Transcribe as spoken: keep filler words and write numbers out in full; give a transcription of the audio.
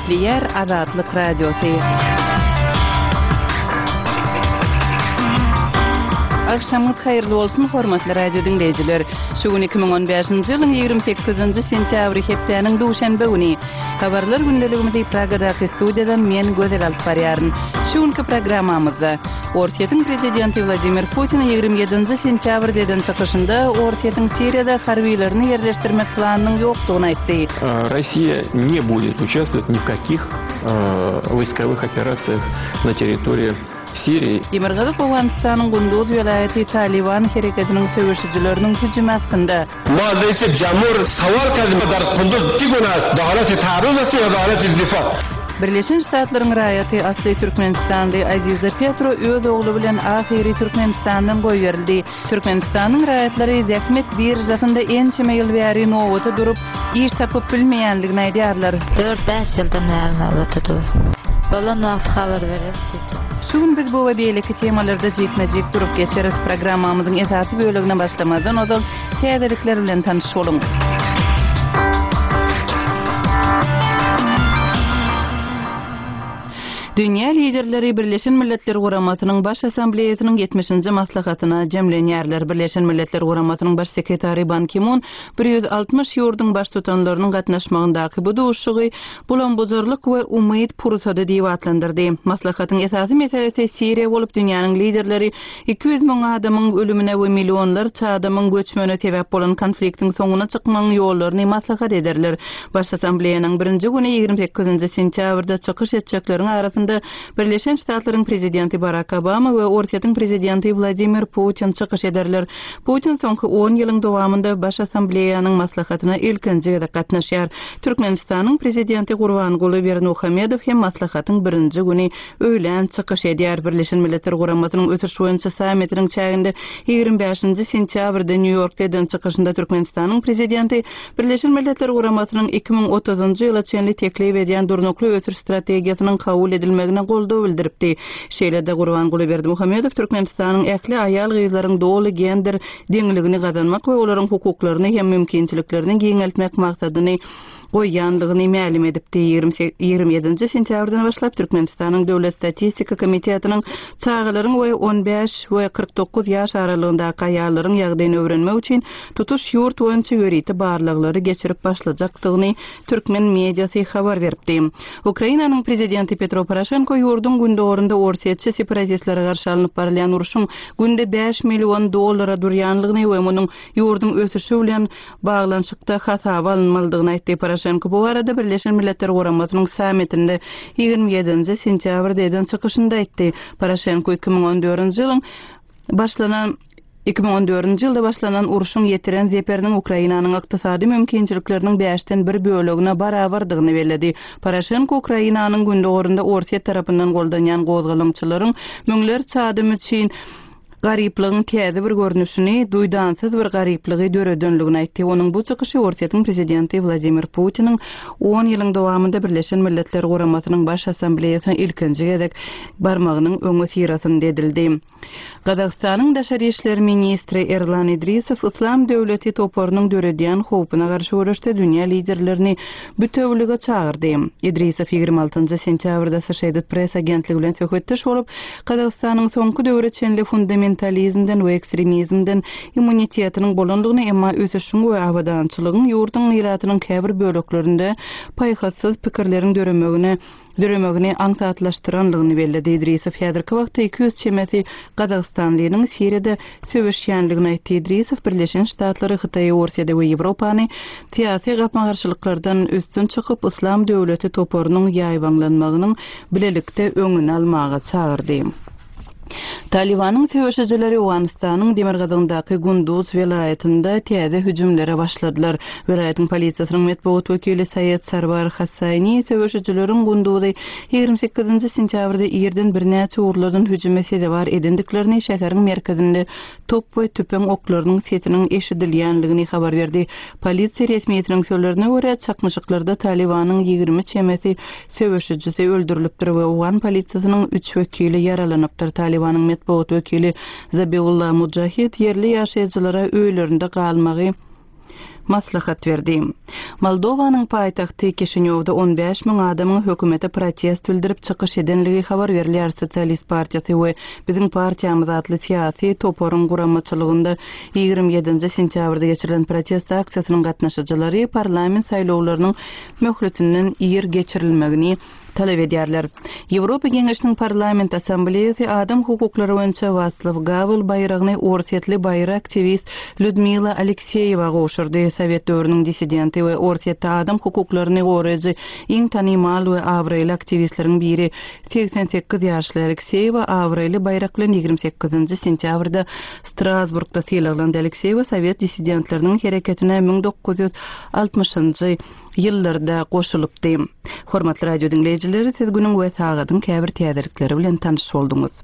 Gepleýär Azatlyk Radiosy. Agşamyňyz haýyrly bolsun, hormatly radio diňleýjiler! Şu gün iki müň on bäşinji ýylyň ýigrimi sekizinji sentýabry hepdäniň duşenbe güni. Habarlar gündeligimizi Pragadaky studiýadan men Gözel alyp barýaryn. Şu günki programmamyzda, Orsýetiň prezidenti Wladimir Putin ýigrimi ýedinji sentýabrda eden çykyşynda Orsýetiň Siriýada harbylaryny ýerleşdirmek planynyň ýokdugyny aýtdy. Россия не будет участвовать ни в каких войсковых операциях на территории Сирии. Demirgazyk Owganystanyň Gunduz welaýaty Talyban hereketiniň söweşijileriniň hüjümi astynda. ما رئيس جمهور سوال کردیم در قندوز چی گونه است به حالت تعرض است یا به حالت دفاع Birleşen Ştatlaryň raýaty, asly türkmenistanly Aziza Petro öz ogly bilen ahyry Türkmenistandan goýberildi. Türkmenistanyň raýatlary zähmet biržasynda ençeme ýyl bäri nobata durup, iş tapyp bilmeýändigini aýdýarlar. Dört-bäş ýyldan bäri nobata dur. Bolan wagty habar bereris diýdi. Şu gün biz bu we beýleki temalarda jikme-jik durup geçeris. Programmamyzyň esasy bölegine başlamazdan ozal täzelikler bilen tanyş boluň. Dünýä liderleri Birleşen Milletler Guramasynyň Baş Assambleýasynyň ýetmişinji maslahatyna jemlenýärler. Birleşen Milletler Guramasynyň Baş sekretary Ban Ki-mun bir ýüz altmyş ýurduň baştutanlarynyň gatnaşmagyndaky bu duşuşygy bulam-bujarlyk we umyt pursady diýip atlandyrdy. Maslahatyň esasy meselesi Siriýa bolup, dünýäniň liderleri iki ýüz müň adamyň ölümine we millionlarça adamyň göçmegine sebäp bolan konfliktiň soňuna çykmagyň ýollaryny maslahat ederler. Baş Assambleýanyň birinji güni ýigrimi sekizinji sentýabrda çykyş etjekleriň arasynda Birleşen Ştatlaryň prezidenti Barak Obama we Orsýetiň prezidenti Wladimir Putin çykyş ederler. Putin soňky on ýylyň dowamynda Baş Assambleýanyň maslahatyna ilkinji gezek gatnaşýar. Türkmenistanyň prezidenti Gurbanguly Berdimuhamedow hem maslahatyň birinji güni öýlän çykyş edýär. Birleşen Milletler Guramasynyň ösüş boýunça sammitiniň çäginde ýigrimi bäşinji sentýabrda Nýu-Ýorkda eden çykyşynda Türkmenistanyň prezidenti Birleşen Milletler Guramasynyň iki müň otuzynjy ýyla çenli teklip edýän durnukly ösüş strategiýasynyň kabul edilmegine goldaw bildiripdi. Şeýle-de Gurbanguly Berdimuhamedow Türkmenistanyň ähli aýal-gyzlaryň doly gender deňligini gazanmak we olaryň hukuklaryny hem mümkinçiliklerini giňeltmek maksadyny goýýanlygyny mälim edipdi. Ýigrimi ýedinji sentýabrdan başlap Türkmenistanyň Döwlet Statistika Komitetiniň çagalaryň we on bäş we kyrk dokuz ýaş aralygyndaky aýallaryň ýagdaýyny öwrenmek üçin tutuş ýurt boýunça ýörite barlaglary geçirip başlajakdygyny türkmen mediasy habar beripdi. Ukrainanyň prezidenti Petro Poroşenko ýurduň gündogarynda orsýetçi separatistlere garşy alnyp barylýan urşuň günde bäş million dollara durýanlygyny we munuň ýurduň ösüşi bilen baglanyşykda hasaba alynmalydygyny aýtdy. Poroşenko bu arada Birleşen Milletler Guramasynyň sammitinde ýigrimi ýedinji sentýabrda eden çykyşynda aýtdy. Poroşenko iki müň on dördünji ýylyň başlanan iki müň on dördünji ýylda başlanan urşuň ýetiren zeperiniň Ukrainanyň ykdysady mümkinçilikleriniň bäşden bir bölegine barabardygyny belledi. Poroşenko Ukrainanyň gündogarynda Orsýet tarapyndan goldanýan gozgalaňçylaryň müňlerçe adam üçin garyplygyň täze bir görnüşini, duýdansyz bir garyplygy döredenligini aýtdy. Onuň bu çykyşy Orsýetiň prezidenti Wladimir Putiniň on ýylyň dowamynda Birleşen Milletler Guramasynyň Baş Assambleýasyna ilkinji gezek barmagynyň öňi syrasynda edildi. Gazagystanyň daşary işler ministri Erlan Idrisow Islam döwleti toparynyň döredýän howpuna garşy göreşde dünýä liderlerini bütewlige çagyrdy. Idrisow ýigrimi altynjy sentýabrda Associated Press agentligi bilen söhbetdeş bolup, Gazagystanyň soňky döwre çenli fundamentalizmden we ekstremizmden immunitetiniň bolandygyny, emma ösüşiň we abadançylygyň ýurduň ilatynyň käbir böleklerinde paýhassyz pikirleriň döremegine döremegini aňsatlaşdyranlygyny belledi. Idrisow häzirki wagtda iki ýüz çemesi Gazagystanlynyň Siriýada söweşýänligini aýtdy. Idrisow Birleşen Ştatlary, Hytaýy, Orsýeti we Ýewropany syýasy gapma-garşylyklardan üstün çykyp, Islam döwleti toparynyň ýaýbaňlanmagynyň bilelikde öňüni almaga çagyrdy. Talibanyň söweşijileri Owganystanyň demirgazygyndaky Gunduz welaýatynda täze hüjümlere başladylar. Welaýatyň polisiýasynyň metbugat wekili Saýed Sarwar Hassani söweşijileriň Gunduzy ýigrimi sekizinji sentýabrda irden birnäçe ugurlardan hüjüme sezewar edendiklerini, şäheriň merkezinde top we tüpeň oklarynyň sesiniň eşidilýänligini habar berdi. Polisiýa resmiýetiniň sözlerine görä, çaknyşyklarda Talibanyň ýigrimi çemesi söweşijisi öldürilipdir we Owgan polisiýasynyň üç wekili ýaralanypdyr. Talibanyň metbugat wekili Zabiullah Mujahid ýerli ýaşaýjylara öýlerinde galmagy maslahat berdi. Moldowanyň paýtagty Kişinýowda on bäş müň adamyň hökümete protest bildirip çykyş edenligi habar berilýär. Sosialist partiýasy we Biziň partiýamyz atly syýasy toparyň guramaçylygynda ýigrimi ýedinji sentýabrda geçirilen protest aksiýasynyň gatnaşyjylary parlament saýlawlarynyň möhletinden ir geçirilmegini talap edýärler. Ýewropa Geňeşiniň Parlament Assambleýasy adam hukuklary boýunça Waslaw Gawel baýragyny orsýetli baýry aktiwist Lýudmila Alekseýewa gowşurdy. Sowet döwrüniň dissidenti we Orsýetde adam hukuklaryny goraýjy iň tanymal we abraýly aktiwistleriň biri segsen sekiz ýaşly Alekseýewa abraýly baýrak bilen ýigrimi sekizinji sentýabrda Strasburgda sylaglandy. Alekseýewa sowet dissidentleriniň hereketine müň dokuz ýüz altmyşynjy ýyllarda goşulypdy. Hormatly radio diňleýjileri, siz günüň we sagadyň käbir täzelikleri bilen tanyş bolduňyz.